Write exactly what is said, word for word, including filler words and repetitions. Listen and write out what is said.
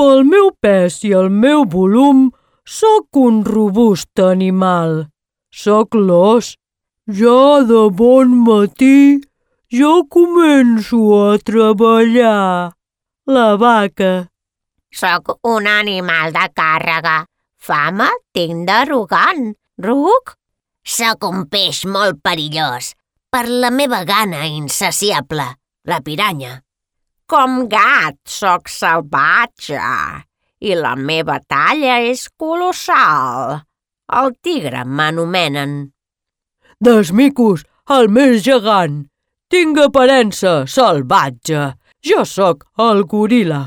Pel meu pes i el meu volum, sóc un robust animal. Sóc l'os. Ja de bon matí, jo començo a treballar. La vaca. Sóc un animal de càrrega. Fama tinc d'arrogant. Ruc? Sóc un peix molt perillós per la meva gana insaciable, la piranya. Com gat sóc salvatge i la meva talla és colossal. El tigre m'anomenen. Dels micos, el més gegant. Tinc aparença salvatge. Jo sóc el goril·la.